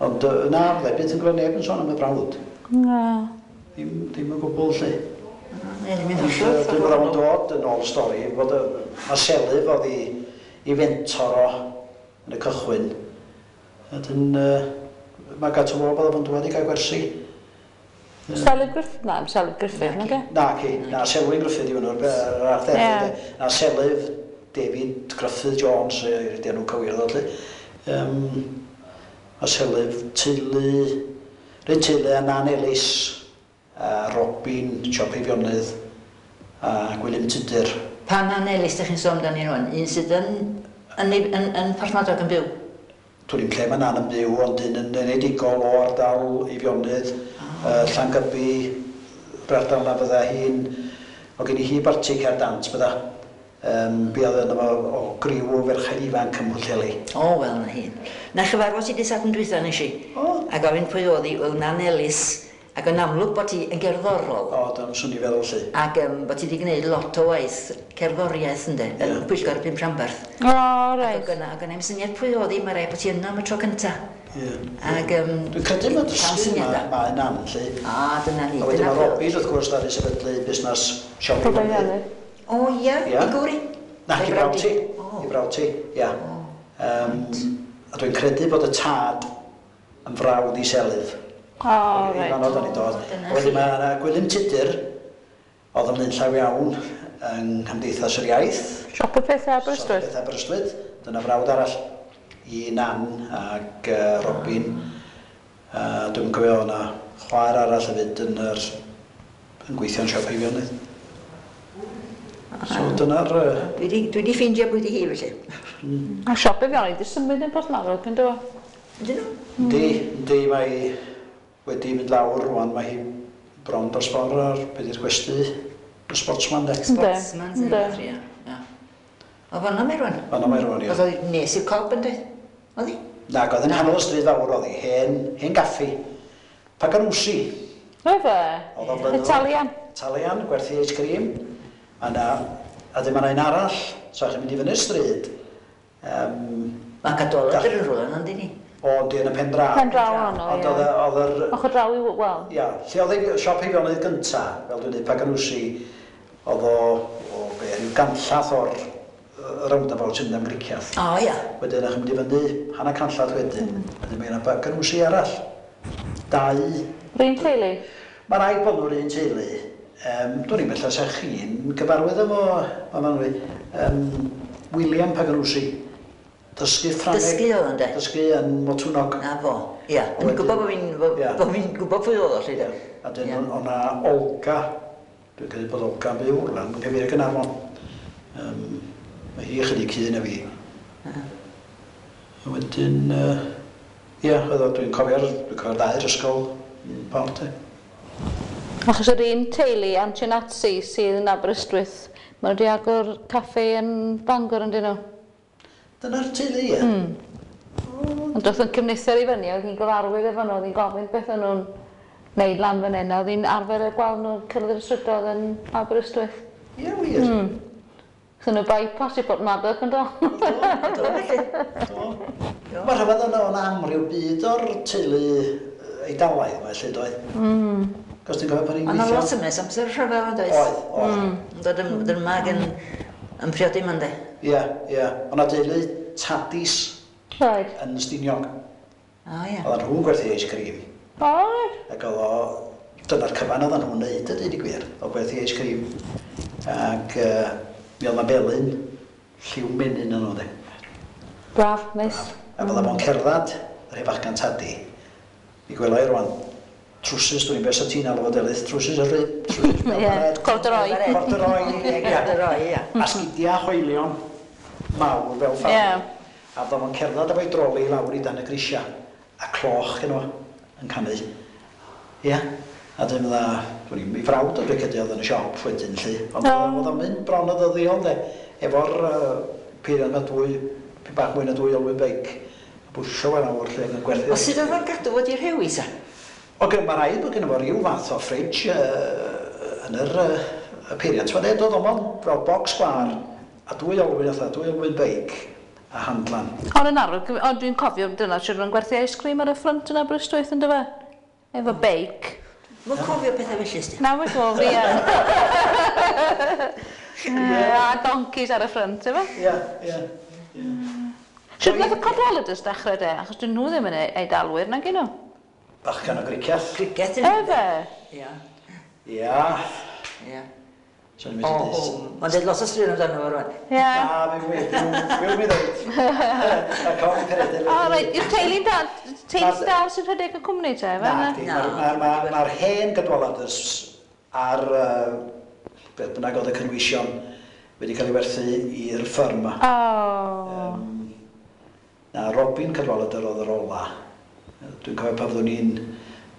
Ond na, fydda i byth yn gweld neb yn sôn am y brawd. Na. Ddim, ddim o gwbl, 'lly. Na, ddim yn Ond hollol. Dwi'n meddwl o'n dod yn ôl stori, bod y, mae Selyf oedd i, i fentor o yn y cychwyn. A dyn, mae gato fo bod o'n dŵad i gael gwersi. Selyf Griffith? Na, Selyf Griffith, nag e? Na, ci, na, Selwyn Griffith yw hwnnw'r yr arddefyd. Ie. Na, Selyf David Gruffydd Jones, ydy enw cywir ddo, 'lly. A Selyf teulu, rhywun teulu a Nan Ellis, a Robin, Siop Eifionydd, a Gwilym Tudur. Pa Nan Ellis dych chi'n sôn amdani rwan? Un sydd yn, yn, yn, yn Porthmadog yn byw? Dwn i'm lle mae Nan yn byw, ond un yn enedigol o ardal Eifionydd, Llangybi, yr ardal 'na fydda hi'n... O gen i hi barti cerdd dant bydda. Buodd yno fo o griw o ferched ifanc ym Mhwllheli. O, wel, 'na hi. Na chyfarfod ti dy' Sadwrn dwytha nes i. O. A gofyn pwy o'dd hi, wel Nan Ellis, ac yn amlwg bod hi yn gerddorol. O, dyna swn i'n feddwl 'lly. Ac bod hi 'di gneud lot o waith cerddoriaeth ynde, yn Pwyllgor y Pump Rhanbarth. O, reit. Ac o'dd gynna, o'dd gynna i'm syniad pwy o'dd hi, ma' raid bod hi yno am y tro cynta. Ie. Ac Dwi'n credu ma' dysgu ma' mae Nan 'lly. A, dyna ni. A wedyn ma' Robin wrth gwrs ddaru sefydlu busnas siop i fyny. O ia? Ia. I gŵr hi? Na, i brawd ti. O. I brawd ti, ia. Yym, a dwi'n credu bod y tad yn frawd i Selyf. O, reit. I fanno 'dan ni'n dod. A wedyn ma' 'na Gwilym Tudur, oedd yn flaenllaw iawn yng Nghymdeithas yr Iaith. Siop y Pethau Aberystwyth. Siop y Pethau Aberystwyth. Dyna frawd arall i Nan ac Robin. A dwi'm yn cofio, oedd 'na chwaer arall hefyd yn yr, yn gweithio yn siop Eifionydd. So dyna'r... Dwi 'di, dwi 'di ffeindio pwy 'di hi felly. A siop Eifionydd 'di symud yn Porthmadog yn do? Ydyn nhw? Yndi, yndi, mae wedi mynd lawr rwan, mae hi bron dros ffordd ar be di'r gwesty, y Sportsman de. Sportsman, Yndi. Ia, ia. O fan'na mae rwan? Fan'na mae rwan, ia. Oedd o nes i'r Cob yn dweud? Oedd hi? Nag oedd, yn nghanol y stryd fawr oedd hi, hen, hen gaffi. Paganusi. Oedd e? Oedd o'n flynyddoedd. Italian? Italian, gwerthu ice cream. A na, a dyma 'na un arall, so chi'n mynd i fyny'r stryd. Mae Cadwaladr yn rhywle yna, yndi ni? O, yndi, yn y pen draw. Pen draw honno, ie. Ond oedd oedd yr... Ochr draw i, wel... Ia, lle oedd ei siop Eifionydd gynta, fel dwi'n dweud, Paganusi, oedd o, o be, ryw ganllath o'r roundabout sy'n mynd am Gricieth. O, ia. Wedyn, o'ch chi'n mynd i fyny hanner canllath wedyn, wedyn mae yna Paganusi arall. Dau... Yr un teulu? Mae rhaid bod nhw'r un teulu. Dwn i'm, ella 'sa chi'n gyfarwydd efo, Myfanwy, William Paganusi. Dysgu Ffrangeg. Dysgu oedd o ynde? Dysgu yn Motwnnog. Na fo, ia. O'n i'n gwybod bod fi'n bod fi'n gwybod pwy oedd o 'lly de. A dyn o' 'na Olga, dwi'n credu bod Olga yn byw rwla yn cyfeirio Gaernarfon. Yym, mae hi ychydig hŷn na fi. A wedyn, ia, oedd o, dwi'n cofio'r, dwi'n cofio'r ddau ysgol yn Port de. Achos yr un teulu, Antonazzi, sydd yn Aberystwyth, maen nhw wedi agor caffe yn Bangor yn dyn nhw? Dyna'r teulu, ie? Mm. Ond doedd yn cyfnither i fyny, oedd hi'n gyfarwydd efo nhw, oedd hi'n gofyn beth o'n nhw'n neud lan fan hyn, a oedd hi'n arfer y gweld nhw'n cyrraedd yr strydoedd yn Aberystwyth. Ie, wir? Mm. So nhw bypass i Porthmadog yn do? Do, do felly. Do. Mae rhyfedd yna o'n amryw byd o'r teulu Eidalaidd yma, felly, doedd? Cos ti'n cofio pan i'n Ond gweithio... lot ymys amser rhyfel yn doedd? Oedd, oedd. Yn dod yn dod yma ac yn yn priodi yma ynde? Ie, ie. O'na deulu Tadis Right. yn Stiniog. O ie. Oedden nhw'n gwerthu ice cream. O reit. Ac oedd o... Dyna'r cyfan oedden nhw'n neud a deud y gwir, o gwerthu ice cream. Ac mi oedd 'na felyn lliw menyn yn nhw de. Braf, neis. Braf. A fydda fo'n cerddad, yr hen fachgan Tadi, mi gwela i rwan, trwsus, dwi'n beth sa ti'n alw fo Delyth, trwsus y rib, trwsus Ie, corduroy. Corduroy, ie, corduroy, ia. A sgidia hoelion mawr fel ffarm. Ie. A fydda fo'n cerddad efo'i droli i lawr i dan y grisia, a cloch gynno fo, yn canu. Ia. A dyn fydda, dwi'n i'm, 'i frawd o dwi'n credu oedd yn y siop wedyn 'lly, ond oedd o'n mynd bron yn ddyddiol de, efo'r peiriant 'ma dwy, pyn bach mwy na dwy olwyn beic, a bwsio fo lawr 'lly ac yn gwerthu. O sut oedd o'n gadw fo 'di rhewi ta? O mae rhaid bod gynno fo ryw fath o fridge yn yr y peiriant 'ma de, doedd o'm ond fel bocs sgwâr a dwy olwyn fatha, dwy olwyn beic. a handlan. Ond yn arfer, ond dwi'n cofio dyna sydd yn gwerthu ice cream ar y ffrynt yn Aberystwyth yn dyfa? Efo beic. Mae'n cofio pethau felly, sti. Na, mae'n gof i, A donkeys ar y ffrynt, efo? Ie, ie. Sut nath y Cadwaladers dechrau de? Achos dyn nhw ddim yn Eidalwyr, nag nhw? Bachgen o Gricieth. Cricet yn Efe? Ia. Ia. Ia. So ni'n O, mynd i o, mae'n dweud lot o straeon amdano fo rwan. Ie. Na, fi wir, fi wir dweud. A con Peredur. O, reit, yw'r teulu'n dal, teulu'n dal sy'n rhedeg y cwmni te, efe? Na, di, mae'r hen Cadwaladers ar beth bynnag oedd y cynwysion wedi cael ei werthu i'r ffyrm ma. O. Na, Robin Cadwaladr oedd yr ola. Dwi'n cofio pan fyddwn ni'n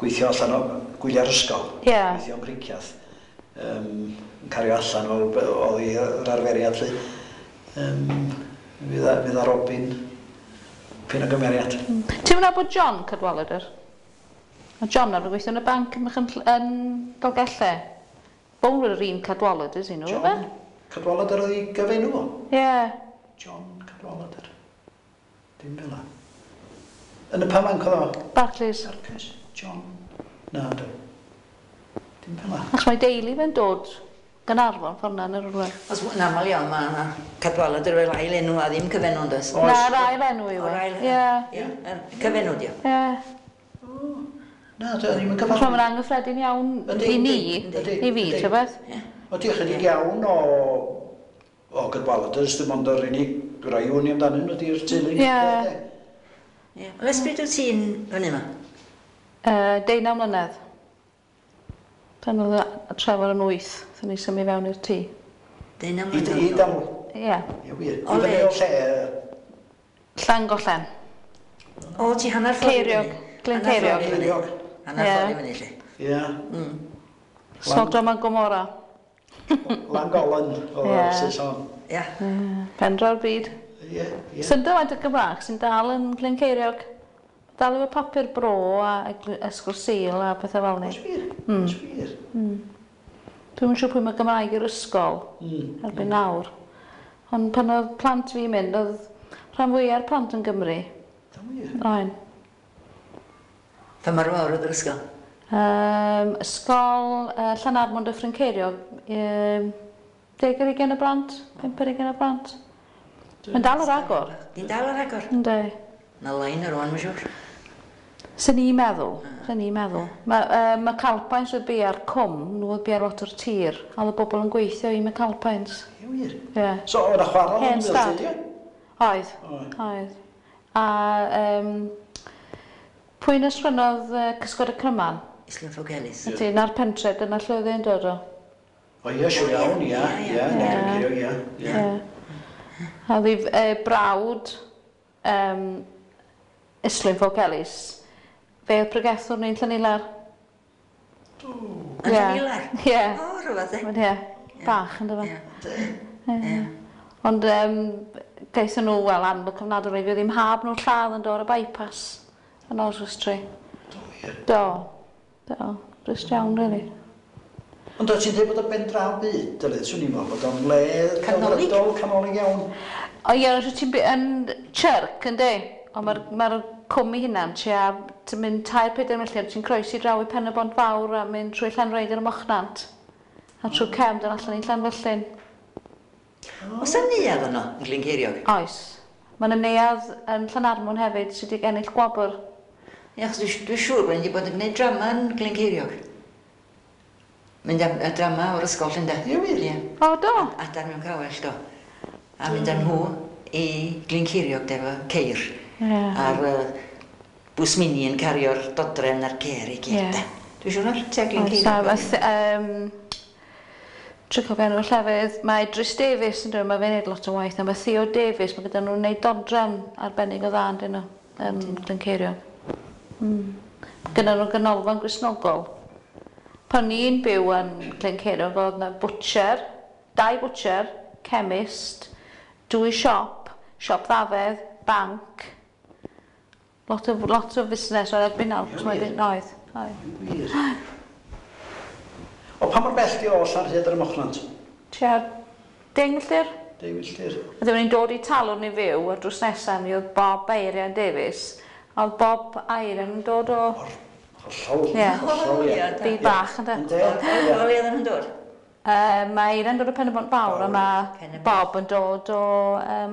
gweithio allan o gwyliau'r ysgol. Ie. Gweithio yn Griciath. Yn cario allan oedd i'r arferiad lly. Fydd a Robin pyn o gymeriad. Ti'n mynd bod John Cadwaladr? Mae John ar gweithio yn y banc yn yn Dolgellau. Bown yr un Cadwaladr sy'n nhw, efe? John Cadwaladr oedd ei gyfenw o? Ie. John Cadwaladr. Dim fel 'na. Yn y pa banc oedd o? Barclays. Barclays. John. Na, do. Dim fel 'na. Achos mae deulu fe'n dod Gaernarfon ffordd na yn yr rhywle. Os yn aml iawn, mae yna Cadwaladr fel ail enw a ddim cyfenw yn does. Oes. Na'r ail enw yw O'r e. ail Ie. Ie, yr cyfenw di o. Ie. Na, do, ddim yn Achos cyfarwydd. mae'n anghyffredin iawn Yndi, i ni, yndi, i fi, yndi. ta beth. O, di chydig iawn o Cadwaladrs, dim ond yr unig rai wn i amdanyn nhw ydi'r teulu. Ie. Ie. Ond ers pryd wyt ti'n fyny yma? 19 mlynedd. Pan oedd y Trevor yn 8, dyn ni symud fewn i'r tŷ. 19 I mlynedd. i dal. Ie. Ie, wir. O I fyny le? o lle. Llangollen. O, ti hanner ffordd i Ceiriog. fyny. Glyn Hanner Ceiriog. ffordd i fyny. Ceiriog. Hanner Ie. ffordd i fyny, lle. Ie. Sodom a Gomorra. Langolan o Ie. Saeson. Ie. Pen draw'r byd. Ie, ie. Sy'n faint o Gymraeg sy'n dal yn Glyn Ceiriog. Dal efo papur bro a Ysgol Sul a pethau fel ni. Oes wir? Oes wir? Dwi'm yn siŵr pwy mae Gymraeg i'r ysgol erbyn nawr. Ond pan oedd plant fi'n mynd, oedd rhan fwya'r plant yn Gymru. Da wir. Oen. Pa mor fawr oedd yr ysgol? Ysgol Llanarmon Dyffryn Ceiriog, 10 ar 20 o blant, 5 ar 20 o blant. Mae'n dal ar agor. Di'n dal ar agor? Yndi. Na lain ar ôl, mae'n siŵr. Sy'n ni'n meddwl, sy'n ni'n meddwl. Mae McAlpines oedd bia'r cwm, nhw oedd bia'r lot o'r tir, a oedd y bobl yn gweithio i McAlpines. Ie, wir. Ie. So, oedd y chwarel yn Hen ymwneud, stad. ie? Oedd, Oedd. oedd. A pwy'n ysgrifennodd Cysgod y Cryman? Islwyn Ffowc Elis. Ydy, na'r pentre, dyna lle oedd e'n dod o. O ie, siŵr iawn, ie. Ie, Negryn Ceiriog, ie. Ie. Ie. A oedd ei brawd Islwyn Ffowc Elis, fe oedd pregethwr ni'n Llanilar. Yn Llanilar? Ie. O, rhywbeth e. Ond ie, bach yn dyfa. Ie. Ie. Ond gaethon nhw, wel, anfod cyfnadol i fi, ddim hab nhw'n lladd yn dod ar y bypass yn Oswestry. Do, wir. Do. Do. Drist iawn, really. Ond o ti'n dweud bod o ben draw byd, dylid, swn i'n meddwl bod o'n le Canolig? delfrydol, canolig iawn. O ie, os wyt ti'n yn chirc, yndi? Ond mae'r ma cwm i hunan, tua, ti'n mynd 3-4 milltir, ti'n croesi draw i Pen y Bont Fawr a mynd trwy Llanrhaeadr ym Mochnant. A trwy cefn dod allan i Llanfyllin. Oes 'na neuadd yno, yn Glyn Ceiriog? Oes. Mae yna neuadd yn Llanarmon hefyd sydd wedi ennill gwobr. Ie, achos dwi siŵr bod ni wedi bod yn gwneud drama yn Glyn Ceiriog. Mynd am y drama o'r ysgol, llynda. Ie, wir? Ie. O, do? Adar mewn cawell, do. A mynd â nhw i Glyn Ceiriog, de, efo ceir. Ie. A'r bws mini yn cario'r dodrefn a'r cer i gyd, Ie. de. Dwi'n siŵr o'r tua Glyn Oes, a Ceiriog. Trio cofio enw'r llefydd, mae Idris Davies yn dweud, mae fe'n neud lot o waith, a mae Theo Davies, mae gyda nhw'n neud dodrefn arbennig o dda, yndyn nhw, yn Glyn Ceiriog. Gyda nhw ganolfan Gristnogol. Pan ni'n byw yn Glyn Ceiriog, oedd yna butcher, 2 butcher, chemist, 2 siop, siop ddafedd, banc, lot o fusnes oedd erbyn nawr, Ie, cos mae wir. oedd, oedd. Wir. O, pa mor bell di o Llanrhaeadr ym Mochnant? Tua 10 milltir? 2 milltir. A dyma ni'n dod i Talwrn i fyw, a drws nesaf ni oedd Bob Eirian Davies, a oedd Bob Eirian yn dod o Hollol, hollol, ie. Byd bach, ynde? Ynde, O ie. le oedden nhw'n dod? Mae Eirian dod o Pen-y-bont Fawr, a mae Pen-y-bont. Bob yn dod o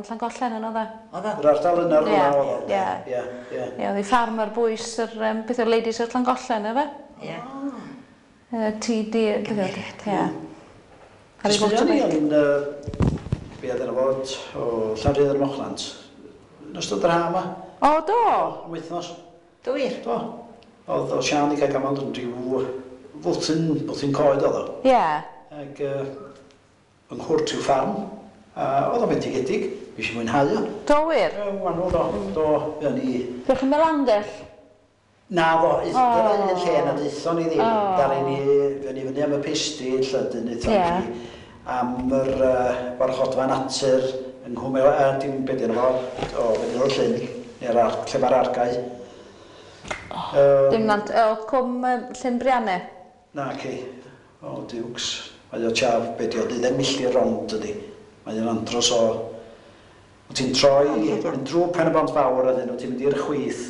Llangollen yn oedd e. Oedd o? Yr ardal yna rhywle oedd o. Ie. Ie, ie. Ie, oedd ei ffarm ar bwys yr, beth yw'r Ladies o'r Llangollen, efe? Ie. TD, beth yw'r... Ie. Ar ei Fuon ni motorbike. yn, be oedd yna fod, o Llanrhaeadr ym Mochnant, yn ystod yr ha yma, O, do? am wythnos. Do wir? Do. Oedd o Sian i gael gamal yn rhyw fwthyn coed oedd o. Ac yng nghwrt i'w ffarm, a oedd o'n bendigedig, fi eisiau mwynhau o. Do wir? Ie, Wanwl do, do, fuon ni. Fuoch chi'n Melangell? Na ddo, dyna O. un lle na ddaethon ni ddim. O. Daru ni, fuon ni fyny am y pistyll, a dyn aethon ni am yr warchodfa natur yng Nghwm, dim beth yna fo, o, beth yw'r llyn, neu'r lle mae'r argau. Dim nant, o, Cwm Llyn Brianne. Na, ci. O, diwcs. Mae o tua, be di o, 12 milltir rond ydi. Mae o'n andros o... Wyt ti'n troi, mynd drwy Pen y Bont Fawr a dyn, wyt ti'n mynd i'r chwith.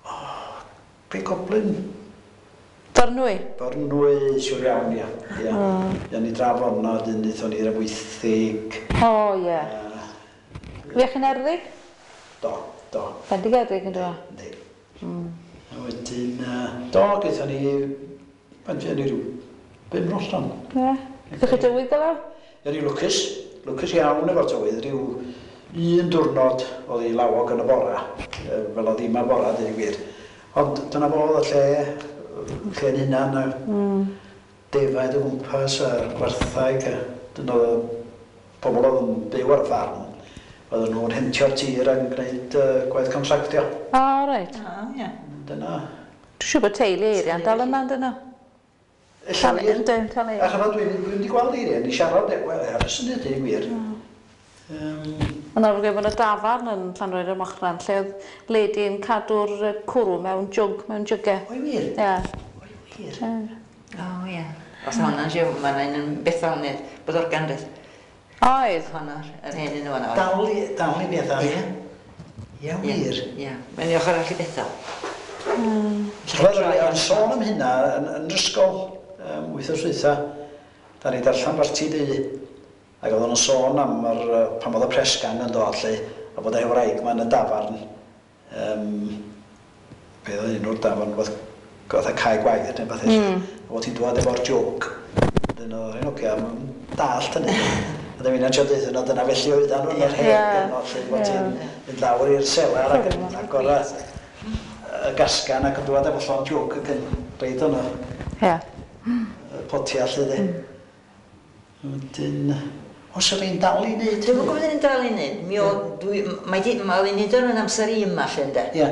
O, be goblin? Fyrnwy. Fyrnwy, siwr iawn, ia. Ia. Ia, ni drafod yna, dyn, aethon ni'r Amwythig. O, ie. Fuoch chi'n Erddig? Do, do. Bendigedig yn dod. Yndi. A wedyn, do, gaethon ni, faint fuon ni rhyw 5 noson. Ie. Ydych chi dywydd gyda? Ie, ni lwcus, lwcus iawn efo'r tywydd, rhyw un diwrnod oedd hi lawog yn y bora, fel oedd ddim a bora, dweud y gwir. Ond dyna fo oedd y lle, lle'n hunan, a defaid o gwmpas a'r gwarthag, a dyna oedd y pobl oedd yn byw ar y ffarm. Oedden nhw'n hentio'r tir ac yn gwneud gwaith contractio. O, reit. O, ie. Dyna. Dwi'n siŵr bod teulu Eirian dal yna, dyn nhw. Ella wir. Yndyn, tal A Eirian. chyfod dwi'n wedi gweld Eirian i siarad, wel, ar y syniad i wir. Ond ar ôl bod y dafarn yn Llanrhaeadr ym Mochnant, lle oedd lady yn cadw'r cwrw mewn jwg, mewn jygau. Oi wir? Ie. Oi wir. O, ie. Os hwnna'n siw, mae'n un yn bethol neu bod organ rhaid. Oedd. Hwnna, yr hen un o'na. Dal i bethau. Ie. Ie, wir. Ie. Mae'n i ochr arall i bethol. Roedd yn sôn am hynna yn yr ysgol wythnos dwytha. Da ni darllen Barti Du. Ac oedd nhw'n sôn am yr, pan oedd y press gang yn dod lle, a bod ei wraig ma yn y dafarn. Be oedd enw'r dafarn, fath fatha cae gwaith neu beth felly. A bod hi'n dŵad efo'r jwg. Dyn nhw'n rhaid ogia, dallt hynny. A dyma ni'n siarad deutha nhw, dyna felly oeddan nhw yn yr hen gyfnod lle, bod ti'n mynd lawr i'r selar ac yn agor y gasgan ac yn dŵad efo llond jwg ac yn reid o'n y potia lle de. Wedyn, os yw'n dal i wneud Dwi'n gwybod yn dal i wneud. Mi o, dwi, mae di, mae o'n neud o'n amser i yma lle ynde. Ie.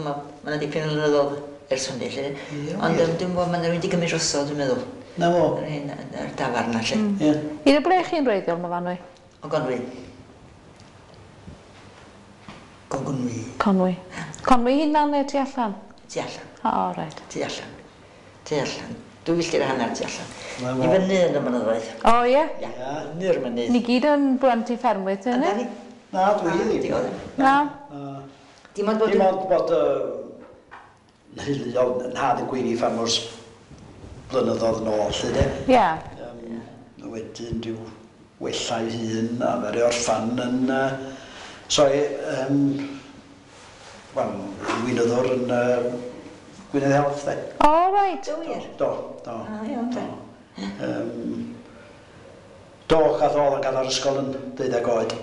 Mae yna dipyn o flynyddoedd ers hynny lle. Ie, Ond wir. dwi'n gwybod mae yna rhywun wedi gymryd drosodd, dwi'n meddwl. Na fo. Yr hen, yr dafarn na lle. Ie. Un o ble chi'n wreiddiol, Myfanwy? O Gonwy. Gonwy. Conwy. Conwy hunan neu tu allan? Tu allan. O, reit. Tu allan. Tu allan. 2.5 milltir tu allan. Na fo. I fyny yn y mynyddoedd. O, ie. Ia. Fyny'r mynydd. Ni gyd yn blentyn ffermwyr, dyn Yndan ni? ni? Na, dwi ddim. Di oedd. Na. Na. Dim ond bod... Dim ond bod nheulu o nhad yn gweini ffarmwrs blynyddoedd yn ôl, lle de. Ie. Wedyn rhyw wella'i hun a fe orffan yn... Sorry, wel, weinyddwr yn Gwynedd Health, de. O, reit. Do wir? Do, do. Ah, iawn, de. Do. Do, gath oedd yn gadael ysgol yn 12 oed.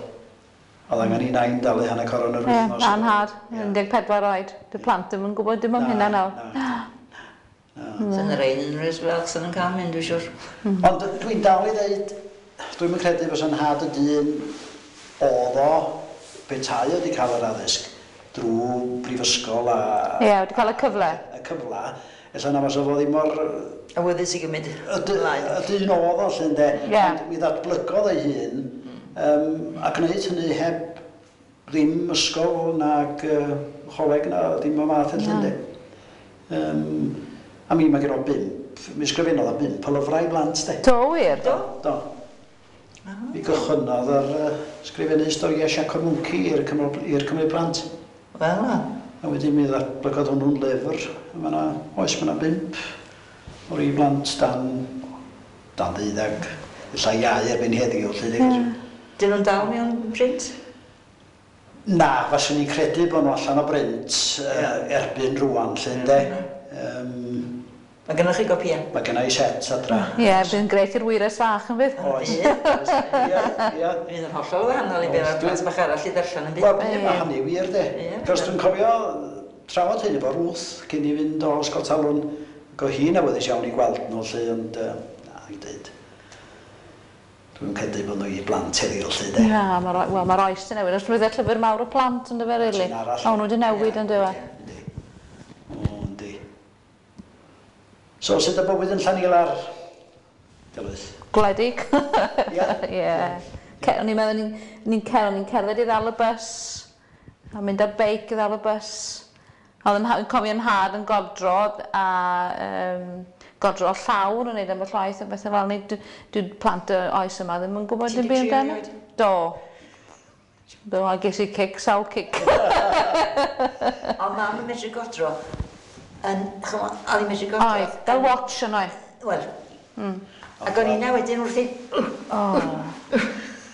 Oedd angen i nain dalu hanner coron yr Ie, wythnos. a'n nhad, Ie. 14 oed. Dy plant ddim yn gwybod dim am Na, hynna nawr. na. Sy'n y rhain yn rhys fel sy'n yn cael mynd, dwi'n siŵr. Ond dwi'n dal i ddeud, dwi'n mynd credu fysa'n nhad y dyn oedd o petai wedi cael yr addysg drwy brifysgol a Ie, wedi cael y cyfle. y cyfla, ella na fysa fo ddim mor Awyddus i gymryd ymlaen. y dyn oedd o lle ynde. Ie. Ond mi ddatblygodd ei hun a gwneud hynny heb ddim ysgol nag choleg na ddim o math felly ynde. A mi mae gen o bump, mi ysgrifennodd o bump o lyfrau i blant de. Do wir? Do? Do. Mi gychwynnodd ar sgrifennu storiau Siaco'r Mwnci i'r Cymru Plant. Wel, na. A wedyn mi ddatblygodd hwnnw'n lyfr. Mae 'na, oes, mae 'na 5 o'r i blant dan 12, ella iau erbyn heddiw, 'lly. Dyn nhw'n dal mewn print? Na, faswn i'n credu bod nhw allan o brint erbyn rŵan, 'lly, ynde. Mae gennych chi gopïau? Mae genna i set adra. Ie, bydd yn grêt i'r wyres fach yn fydd. Oes, oes, ie, ie. Fydd yn hollol wahanol i be mae'r plant bach arall i ddarllen yn bydd. Wel, mae hynny wir, de. Cos dwi'n cofio trafod hyn efo Ruth cyn i fynd o Ysgol Talwrn. Ac oedd hi'n awyddus iawn i gweld nhw, 'lly, ond na, i'n dweud. Dwi'n credu bod nhw i blant heddiw, 'lly, de. Na, wel, mae'r oes 'di newid. Os roedd y llyfr mawr y plant yn dyfe, really. O, nhw wedi newid yn dyfe. Yndi. O, yndi. So, sut y bywyd yn Llanilar, Delyth? Gwledig. Ie? Ie. O'n i'n meddwl, ni'n cerdded i ddal y bws, a mynd ar beic i ddal y bws. Oedd yn cofio'n nhad yn godro, a godro llawr yn neud ambell waith a bethau fel 'ny. Dwi plant y oes yma ddim yn gwybod dim byd amdano. Do. Do, a ges i cic, sawl cic. Ond mam yn medru godro, yn, ch'mo', oedd hi'n medru godro. Oedd, fel watch yn oedd. Wel, ac o'n i'n wedyn wrthi. O.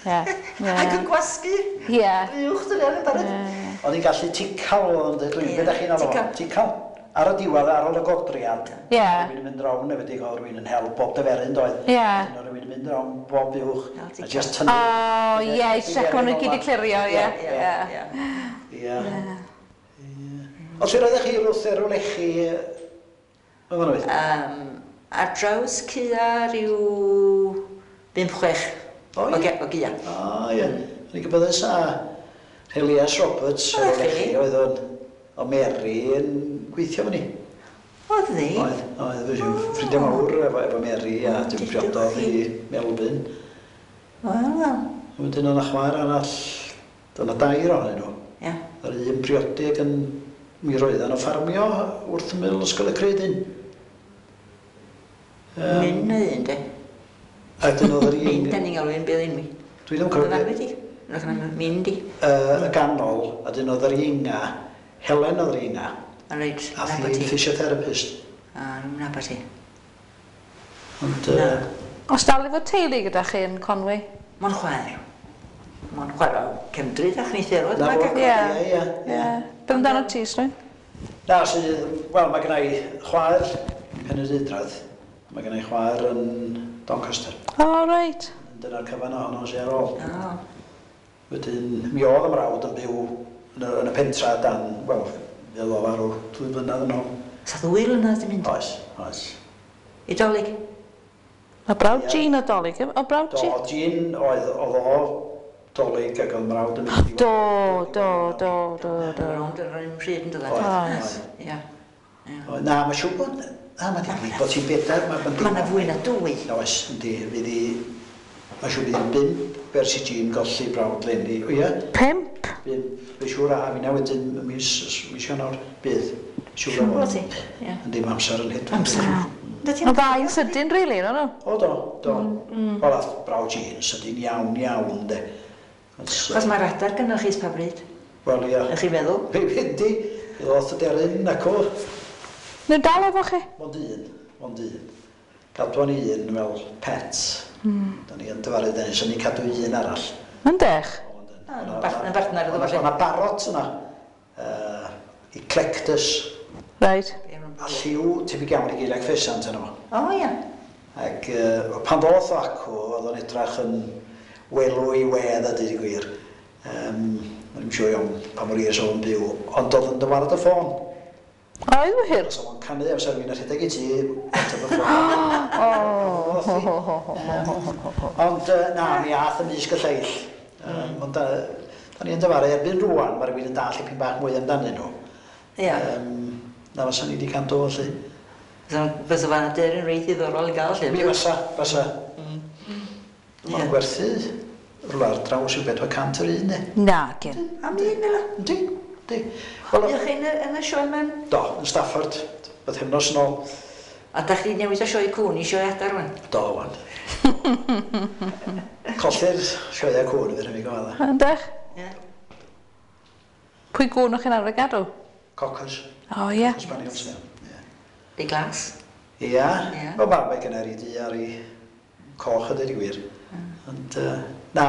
Ie, ie. Ac yn gwasgu. Ie. Uwch dyna yn barod. Oedd hi'n gallu tical oedd yn dweud, be da chi'n alw? Tical. Ar y diwedd, ar ôl y godriad. Ie. Rhywun yn mynd rown, efo oedd rhywun yn hel bob dyferyn doedd. Ie. Rhywun yn mynd rown bob uwch. A just tynnu. O, ie, i check maen nhw gyd i clirio, ie. Ie. Ond lle roeddech chi wrth Erw Lechi yn fan oedd? Ar draws cua rhyw 5-6 O, ie. o gia. O, ie. O'n i'n gwybod a Elias Roberts, Erw Lechi, oedd o'n o Mary yn gweithio fyny. Oedd ddi? Oedd, oedd. Ffrindiau mawr efo Mary a dim priododd i Melvyn. Wel, wel. Wedyn o'na chwaer arall, dyna dair ohonyn nhw. Ie. Yr un briodi ac yn mi roedden nhw ffarmio wrth ymyl Ysgol y Creuddyn. Mynd na un, de. A dyn oedd yr un... Mynd, da ni'n galw un bydd unwi. Dwi ddim yn cofio... Dyna di. Mynd i. Y ganol, a dyn oedd yr inga, Helen oedd yr inga. A reit, A hi'n physiotherapist. A, nabod ti. Ond... Os dal efo teulu gyda chi yn Conwy? Mae'n chwaer. Mae'n chwaer o cefndryd a chnitherod. Na fo, Ie. ie, ie. Beth amdano ti, Slwyn? Na, sydd... Wel, mae gen i chwaer Penrhyndeudraeth. Mae gen i chwaer yn Doncaster. O, reit. Dyna'r cyfan ohono sydd ar ôl. O. Wedyn, mi oedd y mrawd yn byw yn y pentra dan, wel, mi oedd o farw 2 blynedd yn ôl. Sa 2 blynedd di mynd? Oes, oes. I Dolig? Mae brawd Jean o Dolig, o brawd Jean? Do, Jean oedd o Dolig ac oedd mrawd yn mynd i... Do, do, do, do, do. Rownd yr un pryd yn dod. Oedd, Ie. Na, mae'n siŵr bod... Na, mae'n digwydd bod ti'n 4. Mae yna fwy na 2. Oes, yndi, fydd i... Mae'n siŵr bydd hi'n 5 ers i Jean golli brawd Lenny. O ie? 5? 5. Mae'n siŵr a finna wedyn mis Ionawr bydd. Siŵr o fod. Ie. Yndi, mae amser yn hedfan. Amser. Ond ddau'n sydyn, rili, no nhw? O, do, do. Wel, ath brawd Jean sydyn iawn, iawn, de. Chos mae'r adar gynnoch chi pa bryd? Wel, ia. Ych chi'n meddwl? Fe fyndi. Fe ddoth y deryn ac o. Nhw dal efo chi? Mond un, mond un. Gadwon ni un fel pet. Da ni yn dyfaru dyn, so ni'n cadw un arall. Yndech? Yn bartner iddo fo. O'na barot yna. Eclectus. Reit. A lliw tebyg iawn i geiriau ffesant yna fo. O, ia. Ac pan ddoth o acw, oedd o'n edrach yn welw i wedd a dweud y gwir. O'n i'n siŵr iawn pa mor hir o'n byw, ond oedd yn dywarad y ffôn. Oedd wir? Os oedd o'n canu amser fi'n rhedeg i ti, ateb y ffôn. Ond na, mi ath ymysg y lleill. Ond da ni yn dyfaru erbyn rŵan, mae rhywun yn dall ipyn bach mwy amdanyn nhw. Ia. Na fysa ni wedi cadw felly. Fysa fan aderyn reit ddiddorol i gael lle. Mi fysa, fysa. Mae'n gwerthu rhywle ar draws yw 400 yr un, ne? Na, gyn. Am un fel 'a? Yndi, yndi. Ydych chi yn y sioe mewn? Do, yn Stafford, bythefnos yn ôl. A da chi newid o sioe cwn i sioe adar wan? Do, wan. Colli'r sioeau cwn fydd rhaid i gofio. Yndych? Ie. Pwy gwn o'ch chi'n arfer gadw? Cockers. O, ie. Cocker Spaniels, ie. Di glas. Ia. Ie. Wel, mae gen i di ar ei coch a dweud y gwir. Ond, na,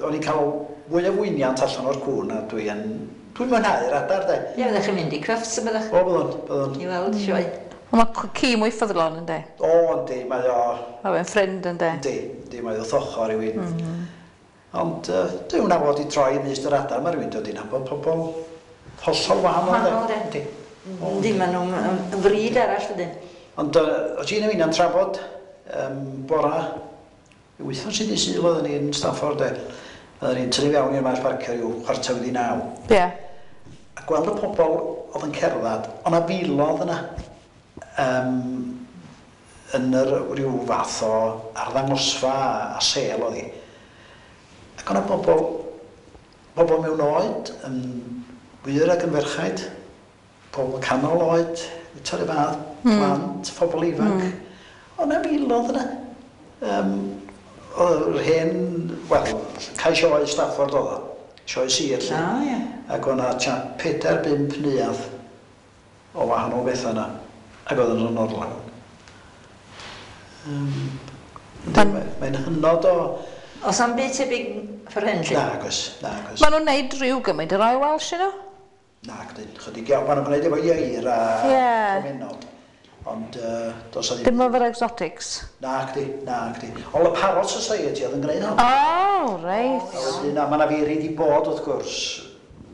o'n i'n cael fwy o fwyniant allan o'r cwn a dwi'n mwynhau'r adar, de. Ie, fyddech chi'n mynd i Crufts y byddech? O, byddwn, byddwn. I weld sioe. Ond mae ci mwy ffyddlon, ynddi? O, yndi, mae o... Mae fe'n ffrind, ynddi? Yndi, yndi, mae o wrth ochr rhywun. Ond dwi'n nabod i troi ymysg yr adar, mae rhywun dod i nabod pobl hollol wahanol. Wahanol, de. Yndi. Yndi, maen nhw'n yn fryd arall, dydyn. Ond o ti'n ymuno'n trafod bora, wythnos i di Sul oedden ni'n Stafford, de. Oedden ni'n tynnu fewn i'r maes parcio ryw 8:45. Ie. A gweld y pobl oedd yn cerdded, ond a filodd yna yn yr rhyw fath o arddangosfa a sêl oedd hi. Ac o'na bobl mewn oed, yn wyr ac yn ferchaid, pobl canol oed, eto yr fath, plant, pobl ifanc. O'na filodd yna. Oedd yr hen, wel, cae sioe Stafford oedd o, sioe sir, lle. O, ie. Ac o'na tua 4-5 neuadd o wahanol bethau yna, ac oedd yn orlawn. Mae'n hynod o... Oes am byd tebyg ffor hyn, lle? Nag oes, nag oes. Maen nhw'n neud rhyw gymaint yr Royal Welsh, you know? Nag dyn, chydig iawn. Maen nhw'n gwneud efo ieir a comenod. Ond does 'na ddim... Dim efo'r exotics? Nag di, nag di. Ond y Parrot Society oedd yn gwneud hon. O, reit. A wedyn, a mae 'na fi wedi bod, wrth gwrs,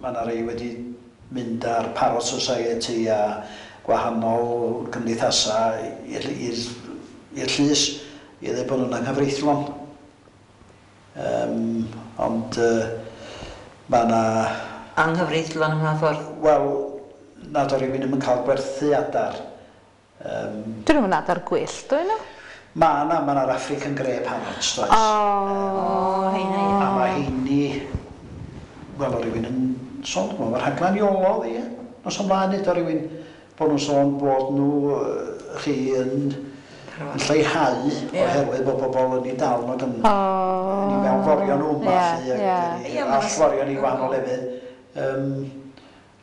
mae 'na rei wedi mynd ar Parrot Society a gwahanol gymdeithasau i'r llys i ddweud bod nhw'n anghyfreithlon. Ond mae 'na... Anghyfreithlon ym mha ffordd? Wel, nad o rywun ddim yn cael gwerthu adar. Dyn nhw'n adar gwyllt, dwi nhw? Mae yna, mae yna'r African Grey Parrots, does? O, heina, ie. A mae heini, wel, o rywun yn sôn, mae'r rhaglen Iolo, ie. Nos ymlaen, nid o rywun bod nhw'n sôn bod nhw chi yn lleihau oherwydd bod pobl yn ei dal nhw ac yn ei mewnforio nhw yma, lly, ac yn ei allforio nhw i wahanol lefydd.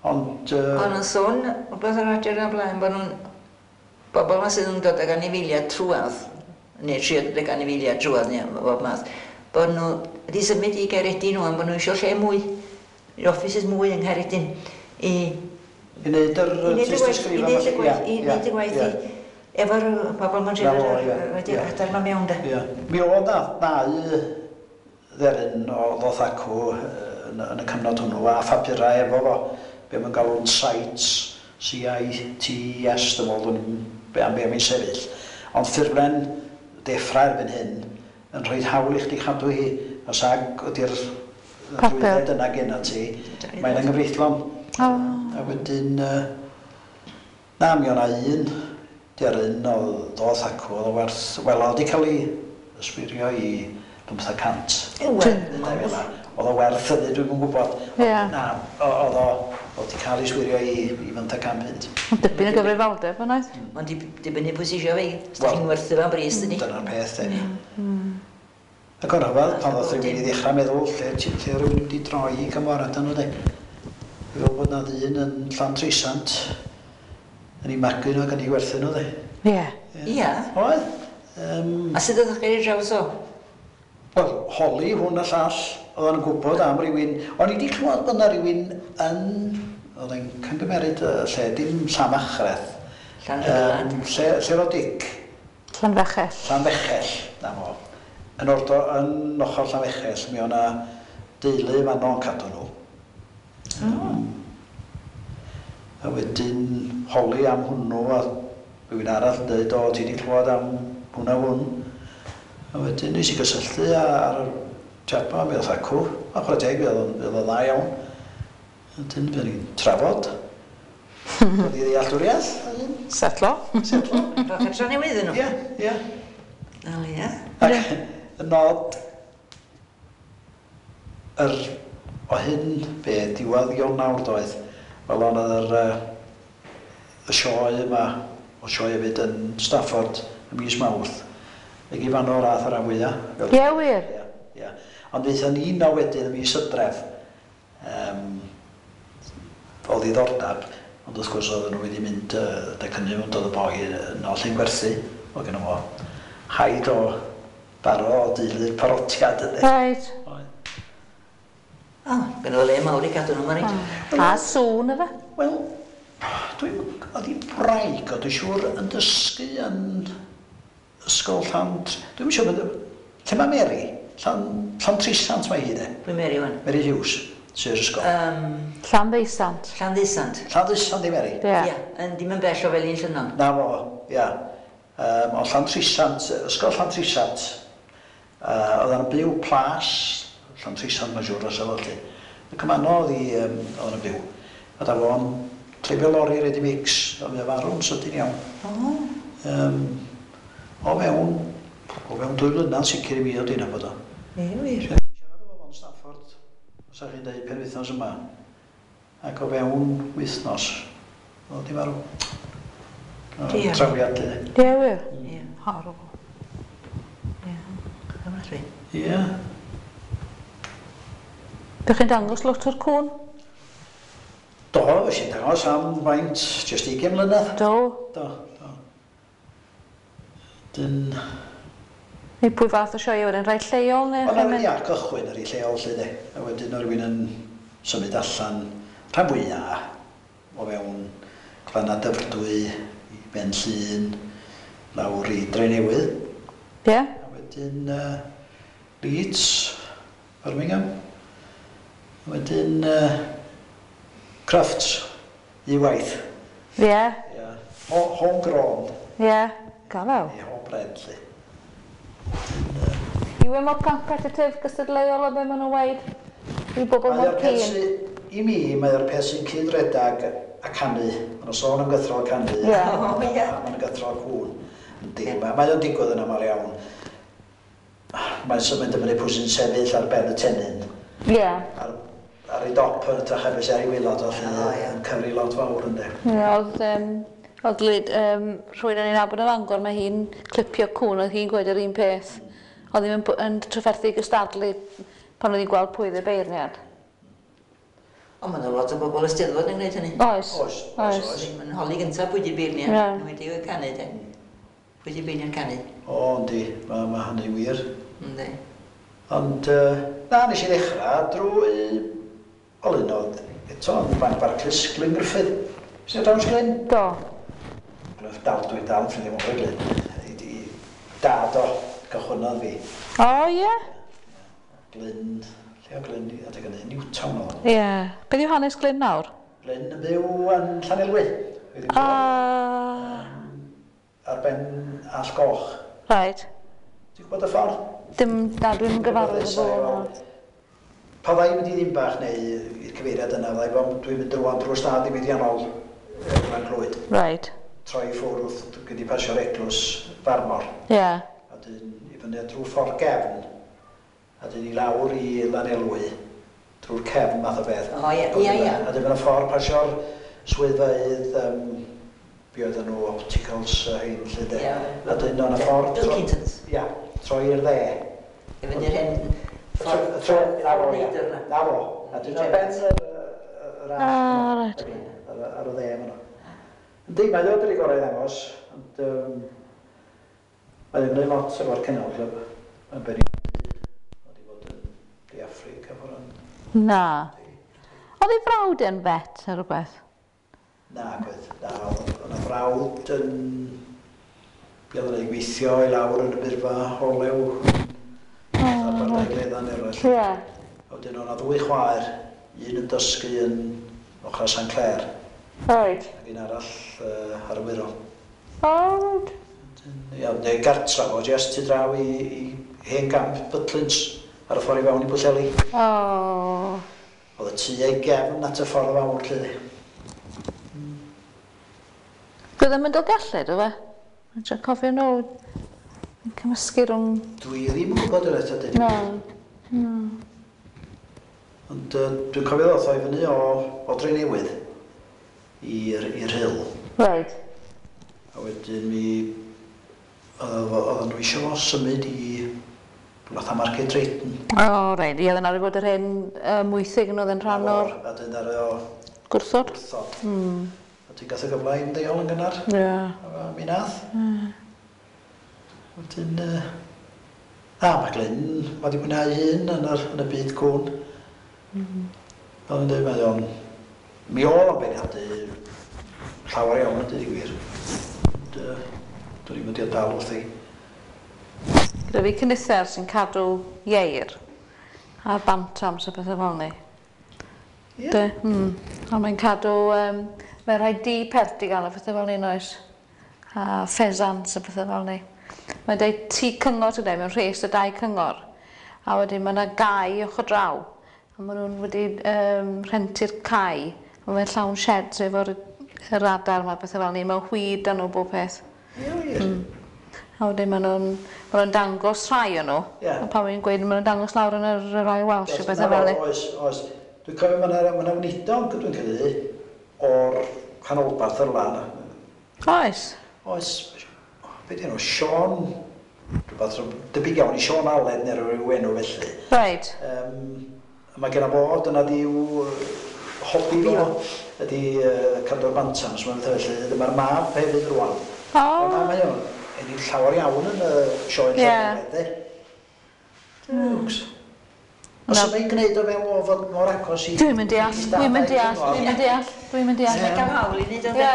Ond... O'n nhw'n sôn, rhywbeth ar radio yna blaen, bod nhw'n bobl yma sydd yn dod ag anifeiliaid trwadd, neu trio dod ag anifeiliaid trwadd, neu bob math, bod nhw wedi symud i Gaeredin ŵan, bod nhw eisiau lle mwy, offices mwy yng Nghaeredin, i I wneud yr tystysgrif yma. I wneud y gwaith i efo'r bobl ma'n trio wedi adar ma mewn de. Mi oedd na ddau dderyn o ddoth acw yn y cyfnod hwnnw a phapurau efo fo, be mae'n galw'n CITES, C-I-T-E-S, dwi'n meddwl, dwi'n am be mae'n sefyll. Ond ffurflen deffra erbyn hyn yn rhoi hawl i chdi chadw hi, os ag ydy'r drwydded yna genna ti, mae'n anghyfreithlon. A wedyn, na, mi o'na un deryn o ddoth acw, oedd o werth, wel, oedd wedi cael ei yswirio i 500. Oedd o werth hynny, dwi'm yn gwybod. Na, oedd o wedi cael ei swirio i 500 punt. Ond dipyn o gyfrifoldeb, yn oedd? Ond dibynnu pwy sy'n isio fe, os da chi'n werthu fo'n bris, dyni. Dyna'r peth, de. Ac o'n rhyfedd, pan ddoth rhywun i ddechrau meddwl, lle rhywun wedi droi i gymorad nhw, de. Fel bod na ddyn yn Llantrisant yn ei magu nhw ac yn ei gwerthu nhw, de. Ie. Ie. Oedd. A sut oeddech chi ar draws o? Wel, holi hwn a llall, oedd o'n gwybod am rywun. O'n i wedi clywed bod na rywun yn... Oedd e'n camgymeryd y lle, dim Llanfachreth. Llanrhydlad. Lle roedd Dic? Llanfechell. Llanfechell, na fo. Yn ordo, yn ochr Llanfechell, mi o'na deulu fanno yn cadw nhw. A wedyn holi am hwnnw a rhywun arall yn dweud, o, ti wedi clywed am hwn a hwn. A wedyn nes i gysylltu ar y chap ma, mi oedd acw, a chwarae teg, mi oedd o'n dda iawn. A wedyn fuon ni'n trafod. Dod i ddealltwriaeth. Setlo. Setlo. Rhowch adra newydd nhw. Ie, ie. O, ie. Ac y nod yr o hyn be, diwedd Ionawr doedd, wel ond oedd y sioe yma O sioe hefyd yn Stafford y mis Mawrth. Ac i fan o'r ath ar rhan fwyaf. Ie, wir? Ie, ie. Ond ddaethon ni yno wedyn y mis Hydref. O ddiddordeb, ond wrth gwrs oedden nhw wedi mynd adeg hynny, ond oedd y boi yno lle'n gwerthu. Oedd gynno fo haid o baro o deulu'r parotiad yndi. Reit. Oedd. O, gynno fo le mawr i gadw nhw, mae'n rhaid. A sŵn efe? Wel, dwi'n... Oedd hi wraig o, dwi'n siŵr, yn dysgu yn ysgol Llan... Dwi'm yn siŵr beth... Lle mae Mary? Llan, Llantrisant mae hi de. Pwy Mary wan? Mary Hughes, sy'r ysgol. Llanddeusant. Llanddeusant. Llanddeusant di Mary? Ie. Ia, yn dim yn bell o Felin Llynnon. Na fo, ia. O Llantrisant, ysgol Llantrisant. Oedd yn byw plas, Llantrisant mae'n siŵr os efo felly. Y cymanno oedd hi, oedd yn byw. A da fo'n treifio lori ready mix, a mae o farw'n sydyn iawn. O. O fewn 2 flynedd sicr i mi o dyn bod o. Ie, wir. Siarad efo fo'n Stafford, os ydych chi'n dweud penwythnos yma, ac o fewn wythnos, oedd di farw. O, Diar. Trawiad, lly. Ie, wir? Ie. Horrible. Ie. Ofnadwy. Ie. Dych chi'n dangos lot o'r cwn? Do, fes i'n dangos am faint, jyst 20 mlynedd. Do. Do. Dyn... Neu pwy fath o sioe wedyn? Rhai lleol neu? Wel, na, ia, cychwyn ar ei lleol, lle de. A wedyn o rywun yn symud allan rhan fwyaf o fewn Glannau Dyfrdwy, i Ben Llŷn, lawr i Drenewydd. A wedyn Leeds, Birmingham. A wedyn Crufts, i waith. Ia. Homegrown, Ie. Galaw. neu homebred, lle. Yw e mor competitive gystadleuol o be maen nhw'n weud? Yw bobl Mae mor o'r peth keen? I mi, mae o'r peth sy'n cyd-redag a canu. Mae nhw'n sôn am gythrol canu. Ie. O, ie. A mae'n gythrol cŵn. Yndi, mae o'n digwydd yn aml iawn. Mae'n symud yn fyny pwy sy'n sefyll ar ben y tennyn. Ar ei dop yn hytrach na beth sy ar ei waelod o lle O, ie. yn cyfri lot fawr yndi. Ie, oedd lyd, rhywun yn ei nabod yn Fangor, mae hi'n clipio cwn, oedd hi'n gweud yr un peth. Oedd hi'n yn trafferthu gystadlu pan oedd hi'n gweld pwy oedd y beirniad. Ond mae yna lot o bobl y Steddfod yn gwneud hynny. Oes. Oes, oes, oes. Mae'n holi gyntaf pwy di beirniad. Ie. Wedi o'i canu, de. Pwy di beirniad canu. O, yndi, mae hynny wir. Yndi. Ond, na, nes i ddechrau drwy... Wel, un oedd eto yn Banc Barclays, Glyn Griffith. Sy'n draws Glyn? Do. Dal, dwi'n dal yn ffrindiau mawr i Glyn. I dad o gychwynnodd fi. O, ie? Glyn, lle o Glyn, adeg hynny, Newtown oedd o. Ie. Beth yw hanes Glyn nawr? Glyn yn byw yn Llanelwy. Wedi byw Ar ben Allt Goch. Right. Ti'n gwybod y ffordd? Dim, na, dwi'n gyfarwydd efo fo. Pa ddau mynd i Ddinbach neu i'r cyfeiriad yna, fydda i fod, dwi'n mynd rwan drwy'r stad diwydiannol Glan Clwyd. Troi i ffwrdd, dwi'n wedi pasio'r eglwys Farmor. A dyn i fyny drwy ffordd gefn, a dyn i lawr i Lanelwy, drwy'r cefn math o beth. O, ie. A dyn mynd y ffordd pasio'r swyddfeydd, be oedden nhw, opticals a hyn, lle de. A dyn o'n y ffordd... Pilkingtons. Ia, troi i'r dde. I fyny'r hen Tro, na fo, ia. neidr 'na. Na fo. A dyn o'n ben yr allt. Ah, reit. Ar y dde yma. Yndi, mae o wedi gorau i ddangos, ond mae o'n gwneud lot efo'r Kennel Club. Mae'n beri wedi bod yn De Affrica fod yn... Na. Oedd ei frawd yn vet neu rhywbeth? Na, gwedd. Na, oedd yna frawd yn... Be oedd yn ei gweithio i lawr yn y burfa olew. Oh, Aberdaugleddau eraill. A wedyn oedd yna ddwy chwaer, un yn dysgu yn ochr St Clear, ac un arall ar y Wirral. O, reit. Ia, neu gartra fo, jyst tu draw i hen gamp Butlins ar y ffordd i fewn i Bwllheli. O. Oedd y tŷ ei gefn at y ffordd fawr, lle. Dwi ddim yn Dolgellau, do fe? Dwi'n trio cofio nôl. Yn cymysgu rhwng... Dwi ddim yn gwybod yr eto, dweud. Na. Ond dwi'n cofio ddoth o i fyny o Drenewydd i'r Rhyl. A wedyn mi oedden nhw eisiau fo symud i fatha Market Drayton. O, reit. Ie, oedd yna fod yr hen mwythig yn oedd yn rhan o'r... A dyn ar o... Gwrthod. Gwrthod. A ti'n gath y gyfle i ymddeol yn gynnar. Ie. A mi nath. Wedyn... A, mae Glyn wedi mwynhau hun yn y byd cwn. Fel yn dweud, mae o'n... Mi oedd o'n beirniadu llawer iawn yn dweud i gwir. Dwi'n i'n mynd i dal wrthi. Gyda fi cynnither sy'n cadw ieir a bantams a pethau fel ni. Ie. De? A mae'n cadw... Mae'n rhai di pert i gael a pethau fel ni, oes? A pheasants a pethau fel ni. Mae'n dweud tŷ cyngor ti'n dweud, mewn rhes o dau cyngor. A wedyn mae yna gae ochr draw. A maen nhw'n wedi rhentu'r cae. A mae'n llawn sheds efo'r yr adar yma, pethau fel ni. Mae'n chwyd dan nhw bob peth. Ie, wir. A wedyn maen nhw'n dangos rhai o'n nhw. Ie. A pan mae'n gweud, maen nhw'n dangos lawr yn yr Royal Welsh a pethau fel ni. Oes, oes. Dwi'n cofio mae yna weinidog, dwi'n credu, o'r canolbarth yr lan. Oes. Oes. Be di enw? Sean, rhywbeth debyg iawn i Sean Allen neu rhyw enw felly. Reit. Mae genna fo, dyna di'w hobi fo, ydi cadw'r bantams, mae'n fatha felly. Dyma'r mab hefyd rwan. O. Mae o'n ennill llawer iawn yn y sioe Llanelwedd, de. Duwcs. Os yna i'n gwneud o fewn o fod mor agos i... Dwi'n mynd deall, dwi'n mynd deall, dwi'n mynd deall, dwi'n mynd deall. Mae'n cael hawl i wneud o, de. Ie,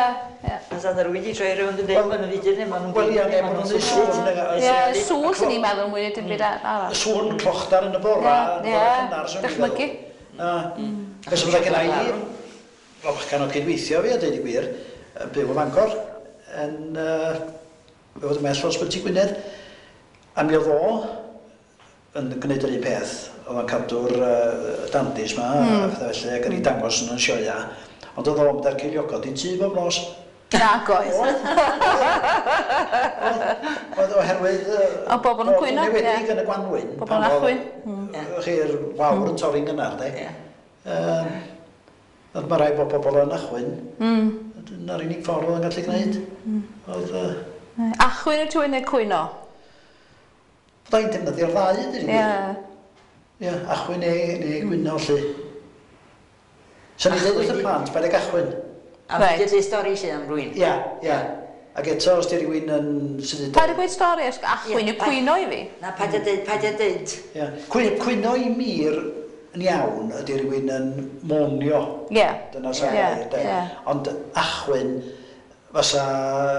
ie. Os oedd rhywun wedi troi rownd yn dweud, maen nhw'n fideo neu maen nhw'n Wel, ie, neu maen nhw'n neud sŵn. Ie, sŵn sy'n ni'n meddwl mwy na dim byd arall. Sŵn clochdar yn y bora, yn y bora cynnar, swn i'n meddwl. Dychmygu. Felly fydda genna i, o bachgen o cydweithio fi, a dweud i gwir, yn byw ym Mangor, yn fod ymhell o Ysbyty Gwynedd, a mi oedd o yn gwneud yr un peth. Oedd o'n cadw'r dandis ma, a pethau felly, ac yn ei dangos yn y sioea. Ond oedd o'n mynd â'r ceiliogod i tŷ bob nos. Nag oedd. Oedd oherwydd... O, bobl yn cwyno. Yn enwedig yn y gwanwyn. Bobl yn achwyn. Chi'r wawr yn torri'n gynnar, de. Ond mae rai bod pobl yn achwyn. Dyna'r unig ffordd oedd yn gallu gwneud. Oedd... Achwyn yw ti'n neu cwyno? Fydda i'n defnyddio'r ddau, ydy. Ie. Ie, achwyn neu gwyno, lly. Sa'n ni'n dweud wrth y plant, paid ag achwyn. A mae'n dweud stori sydd am rywun. Ie, ie. Ac eto, os di rywun yn... Paid â gweud stori, achwyn yw cwyno i fi. Na, paid â dweud, paid â dweud. Ie. Cwyno i mi'r yn iawn ydy rywun yn monio. Ie. Dyna sa'n gair, de. Ond achwyn, fysa...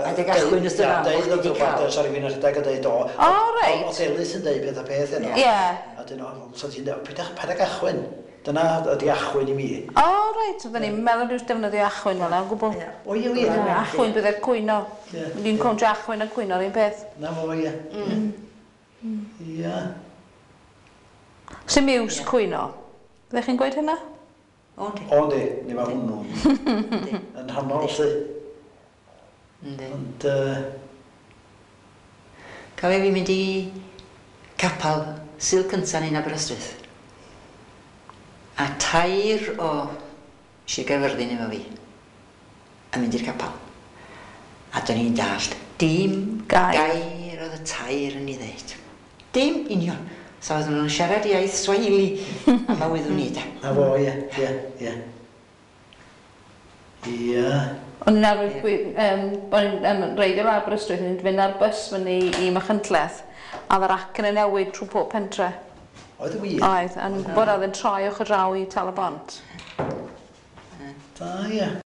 Paid ag achwyn wrth dy fam, bo' chdi 'di cael. Sa rywun yn rhedeg a dweud o. O, reit. O'dd Ellis yn dweud peth a peth heno. Ie. A dyn o, so ti'n dweud, paid ag achwyn. Dyna ydi achwyn i mi. O, reit. Oedden ni'n meddwl dwi'n defnyddio achwyn fel 'na, o gwbl. O, ie, ie. Achwyn bydde'r cwyno. Dwi'n cwntio achwyn a cwyno yr un peth. Na fo, ie. Ie. Sy'n miws cwyno? Byddech chi'n gweud hynna? O, yndi. O, yndi. Ni mae hwnnw. Yn rhannol, lly. Yndi. Ond... Cofio fi mynd i capel Sul cynta ni'n Aberystwyth. A tair o Sir Gaerfyrddin efo fi yn mynd i'r capel. A do'n i'n dallt dim gair oedd y tair yn ei ddeud. Dim union. So oedden nhw'n siarad iaith Swahili a ma wyddwn ni de. Na fo, ie, ie, ie. Ie. O'n i'n arfer, o'n i'n reidio lawr Aberystwyth, o'n i'n fynd ar bws fyny i Machynlleth, a oedd yr acen yn newid trwy pob pentre. Oedd y wir? Oedd, a o'n i'n gwybod oedd yn troi ochr draw i Tal-y-bont. Da, ie.